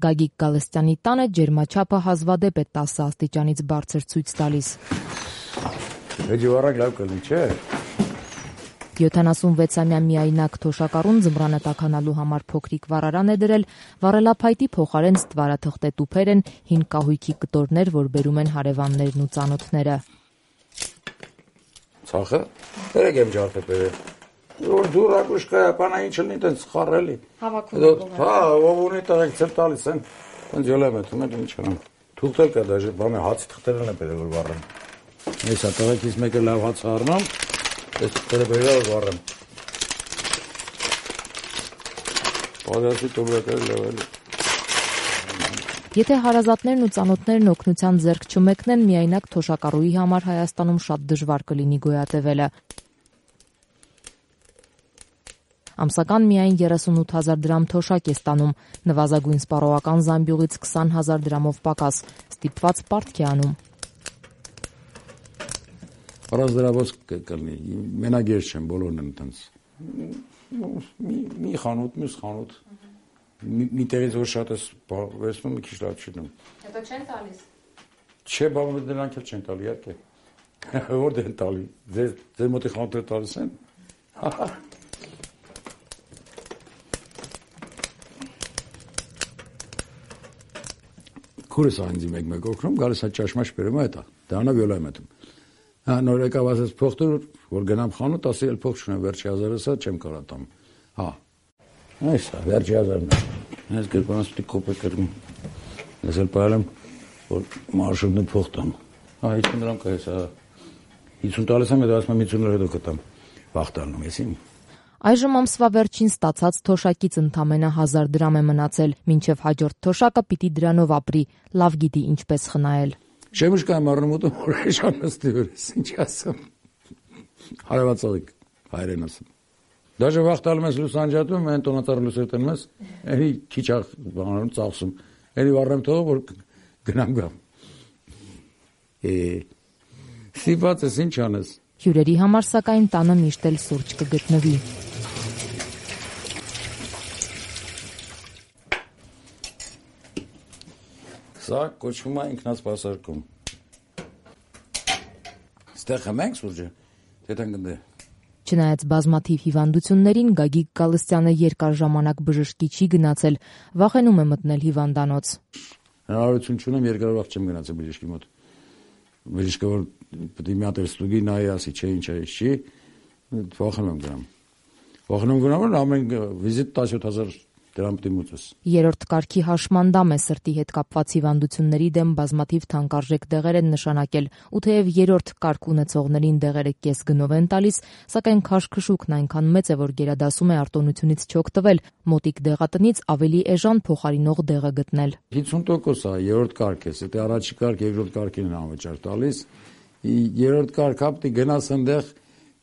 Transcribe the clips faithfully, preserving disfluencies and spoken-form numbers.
Գագիկ Գալստյանի տանը ջերմաչափը հազվադեպ է տասը աստիճանից բարձր ցույց տալիս։ Հաջողարակ լավ կլինի, չէ՞։ յոթանասունվեցամյա միայնակ թոշակառուն ձմռանը տաքանալու համար փոքրիկ վառարան է դրել, վառելափայտի փոխարեն ստվարաթղթե տուփեր են, հին կահույքի կտորներ, որ բերում են հարևաններն ու ծանոթները։ Ցախը, երեք եմ ջարդը բերել։ Որ դուրակուշկա բանա ինչ լինի, տենց խառելի։ Հավաքում։ Հա, ով ունի տղեկ ցել տալիս են, տենց յոլեմ է, թում են ինչ անեմ։ Թուղթել կա դաժե, բանը հացի թղթերն է բերել որ վառեմ։ Այս է տղեկից մեկը լավ հաց առնամ, այս թղթերը բերել որ վառեմ։ Բادرասի տոբրակները լավ էլի։ Եթե հարազատներն ու ծանոթներն օգնության ձեռք չմեկնեն, միայնակ թոշակառուի համար Հայաստանում շատ դժվար կլինի գոյատևելը։ Ամսական միայն երեսունութ հազար դրամ թոշակ է ստանում, նվազագույն սպառողական զամբյուղից քսան հազար դրամով պակաս, ստիպված պարտք է անում։ Առանց դրավոց կլինի, մենակ ես չեմ, բոլորն են տենց։ Մի խանութ, մյուս խանութ, մի տեղից որ շատ ես վերցնում, մի քիչ լավ չի դնում։ Հետո չեն տալիս։ Չէ, բան դրանք էլ չեն տալի, իհարկե։ Որ դեն տալի, ձեր մոտի խանութները տալիս են։ Քուրս այնձի մեկ-մեկ օգնում, գալիս է ճաշմաշ բերում է հետա, դրանով յոլա եմ հետում։ Հա, նոր եկավ ասես փող տուր, որ գնամ խանութ, ասի էլ փող չունեմ, վերջի հազարս է, չեմ կարող տամ։ Հա, այս է, վերջի հազարն է։ Այս գրպանս պիտի կոպեկ կրում։ Ես էլ պայել եմ, որ մարշրուտն փող տամ։ Հա, հիսուն դրամ կա ես, հա, հիսուն տալիս եմ, հետո ասում եմ հիսուն լար հետո կտամ, վաղ տալնում ես իմ։ Այժմ ամսվա վերջին ստացած թոշակից ընդամենը հազար դրամ է մնացել, մինչև հաջորդ թոշակը պիտի դրանով ապրի, լավ գիտի ինչպես խնայել։ Շեմուշկայում առնում ուտում, որ էշանստի վրես, ինչ ասում։ Հարևացողիկ, հայրեն ասում։ Դաժե վաղ տալում ես լուսանջատում, են տոնածառը լուսեր տնում ես, էնի քիչ բանանում ծախսում, էնի վառեմ թողը, որ գնամ գամ։ Է, սիպած ես, ինչ անես։ Հյուրերի համար սակայն տանը միշտ էլ սուրճ կգտնվի։ Սա կոչվում է ինքնասպասարկում։ Ստեղ խմենք սուրճը, թե տանգնդե։ Չնայած բազմաթիվ հիվանդություններին, Գագիկ Գալստյանը երկար ժամանակ բժշկի չի գնացել, վախենում է մտնել հիվանդանոց։ Հնարավորություն չունեմ, երկար վաղ չեմ գնացել բժշկի մոտ։ Բժիշկը որ պետք է մի հատ ստուգի նայի, ասի, չէ, ինչ է, չի, վախենում եմ գնամ։ Վախենում գնամ, որ ամեն վիզիտ տասնյոթ հազար դրամ պետք է մուծես։ Երրորդ կարգի հաշմանդամ է սրտի հետ կապված հիվանդությունների դեմ բազմաթիվ թանկարժեք դեղեր են նշանակել, ու թեև երրորդ կարգ ունեցողներին դեղերը կես գնով են տալիս, սակայն քաշքշուկն այնքան մեծ է, որ գերադասում է արտոնությունից չօգտվել, մոտիկ դեղատնից ավելի էժան փոխարինող դեղը գտնել։ հիսուն տոկոս է, երրորդ կարգ է, եթե առաջի կարգ, երկրորդ կարգին են անվճար տալիս, երրորդ կարգ հապտի գնաս այնտեղ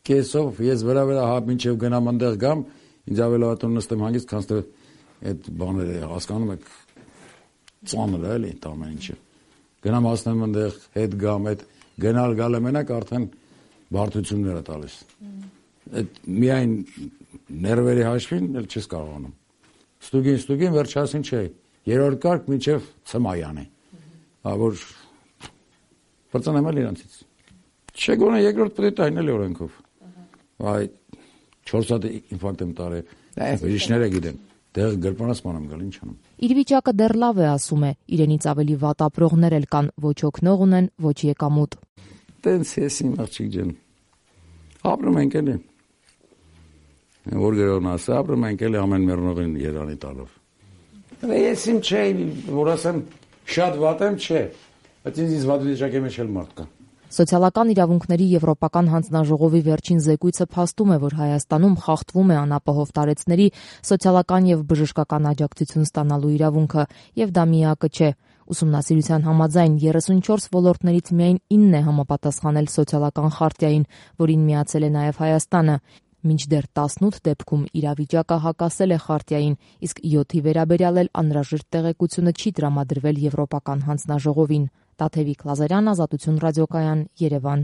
կեսով, ես վրա վրա հա մինչև գնամ այնտեղ գամ, ինձ ավելի ատոն նստեմ հանգիստ, քան թե այդ բաները հասկանում եք ծանր է էլի ամեն ինչը։ Գնամ հասնեմ այնտեղ հետ գամ, այդ գնալ գալը մենակ արդեն բարդություններ է տալիս։ Այդ միայն ներվերի հաշվին էլ չես կարողանում։ Ստուգին, ստուգին վերջասին չէ։ Երրորդ կարգ մինչև ցմայան է։ Հա որ բրծանեմ էլ իրանցից։ Չէ գոնե երկրորդ պետք է տային էլի օրենքով։ Այ չորս հատ ինֆարկտ եմ տարել։ Այ բժիշկները գիտեն։ Դեղ գրպանացման եմ գալ, ինչ անեմ։ Իր վիճակը դեռ լավ է, ասում է, իրենից ավելի վատ ապրողներ էլ կան, ոչ օգնող ունեն, ոչ եկամուտ։ Տենց ես իմ աղջիկ ջան։ Ապրում ենք էլի։ Որ գրողն ասա, ապրում ենք էլի ամեն մեռնողին երանի տալով։ Ես իմ չէ, որ ասեմ, շատ վատ եմ, չէ, բայց ինձ վատ վիճակի մեջ էլ մարդ կա։ Սոցիալական իրավունքների Եվրոպական հանձնաժողովի վերջին զեկույցը փաստում է, որ Հայաստանում խախտվում է անապահով տարեցների սոցիալական եւ բժշկական աջակցություն ստանալու իրավունքը, եւ դա միակը չէ։ Ուսումնասիրության համաձայն երեսունչորս ոլորտներից միայն ինն է համապատասխանել սոցիալական խարտիային, որին միացել է նաեւ Հայաստանը, մինչդեռ տասնութ դեպքում իրավիճակը հակասել է խարտիային, իսկ յոթի վերաբերյալ էլ անհրաժեշտ տեղեկությունը չի տրամադրվել Եվրոպական հանձնաժողովին։ Տաթևիկ Լազարյան, Ազատություն ռադիոկայան, Երևան։